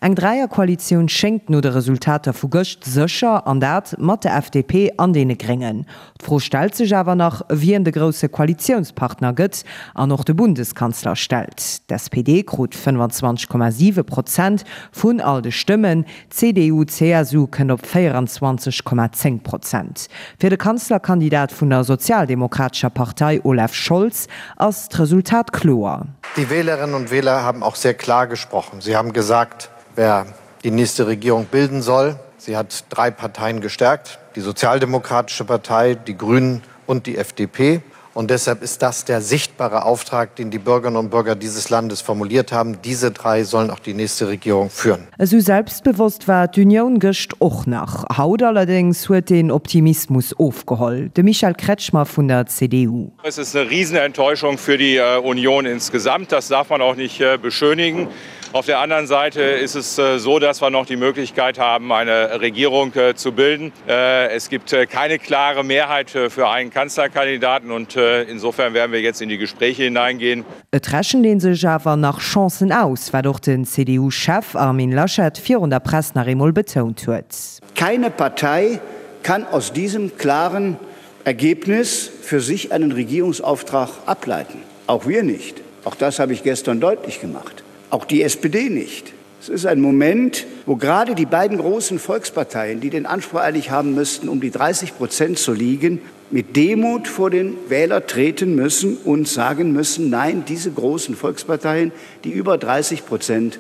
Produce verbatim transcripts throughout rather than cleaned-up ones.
Eng Dräierkoalitioun schéngt no de Resultater vu gëscht sécher, an dat mat der F D P an deene Gréngen. D'Fro stellt sech awer nach, wien de grousse Koalitiounspartner gëtt an och de Bundeskanzler stellt. D S P D krut fënnefenzwanzeg Komma siwe Prozent vun all de Stëmmen, C D U C S U kënnt op véierenzwanzeg Komma zéng Prozent. Fir de Kanzlerkandidat vun der Sozialdemokratescher Partei Olaf Scholz ass d'Resultat kloer. Die Wählerinnen und Wähler haben auch sehr klar gesprochen. Sie haben gesagt, wer die nächste Regierung bilden soll. Sie hat drei Parteien gestärkt: die Sozialdemokratische Partei, die Grünen und die F D P. Und deshalb ist das der sichtbare Auftrag, den die Bürgerinnen und Bürger dieses Landes formuliert haben. Diese drei sollen auch die nächste Regierung führen. Esou selbstbewosst war d'Unioun gëscht och nach. Haut allerdéngs huet den Optimismus ofgeholl. De Michael Kretschmer vun der C D U. Es ist eine Riesenenttäuschung für die äh, Union insgesamt. Das darf man auch nicht äh, beschönigen. Auf der anderen Seite ist es äh, so, dass wir noch die Möglichkeit haben, eine Regierung zu bilden. Es gibt keine klare Mehrheit für einen Kanzlerkandidaten und insofern werden wir jetzt in die Gespräche hineingehen. Et rechent ee sech awer nach Chancen aus, wat och den C D U-Chef Armin Laschet virun der Press nach eemol betount huet. Keine Partei kann aus diesem klaren Ergebnis für sich einen Regierungsauftrag ableiten. Auch wir nicht. Auch das habe ich gestern deutlich gemacht. Auch die S P D nicht. Es ist ein Moment, wo gerade die beiden großen Volksparteien, die den Anspruch eigentlich haben müssten, um die dreißig Prozent zu liegen, mit Demut vor den Wähler treten müssen und sagen müssen, nein, diese großen Volksparteien, die über dreißig Prozent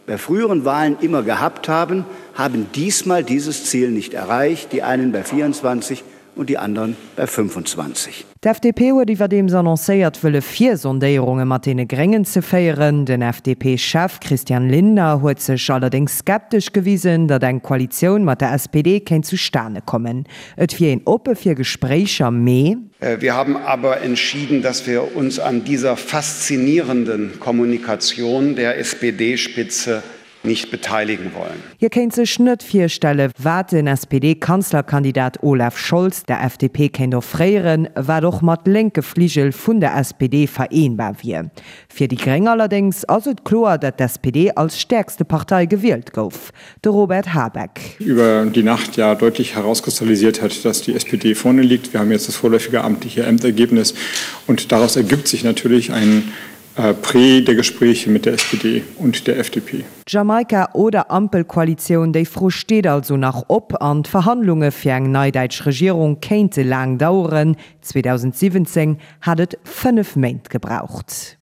bei früheren Wahlen immer gehabt haben, haben diesmal dieses Ziel nicht erreicht, die einen bei vierundzwanzig und die anderen bei fünfundzwanzig. D F D P huet iwwerdeems annoncéiert, wëlle Virsondéierunge mat deene Gréngen ze féieren. Den F D P-Chef Christian Lindner huet sech allerdéngs skeptesch gewisen, datt eng Koalitioun mat der S P D kéint zustane kommen. Et wier een oppe fir Gespréicher, mee Äh, wir haben aber entschieden, dass wir uns an dieser faszinierenden Kommunikation der S P D-Spitze nicht beteiligen wollen. Hie kéint sech net virstellen, wat den S P D-Kanzlerkandidat Olaf Scholz der F D P kéint offréieren, wat och mat lénke Fligel vun der S P D vereenbar wier. Fir déi Gréng allerdéngs ass et kloer, datt d S P D als stäerkste Partei gewielt gouf. De Robert Habeck. Über die Nacht ja deutlich herauskristallisiert hat, dass die S P D vorne liegt. Wir haben jetzt das vorläufige amtliche Endergebnis und daraus ergibt sich natürlich ein äh, Prä der Gespräche mit der S P D und der F D P. Jamaika oder Ampelkoalitioun, déi Fro steet also nach op an d'Verhandlunge fir eng nei däitsch Regierung kéinte laang daueren. zweedausendsiwwenzéng hat et fënnef Méint gebraucht.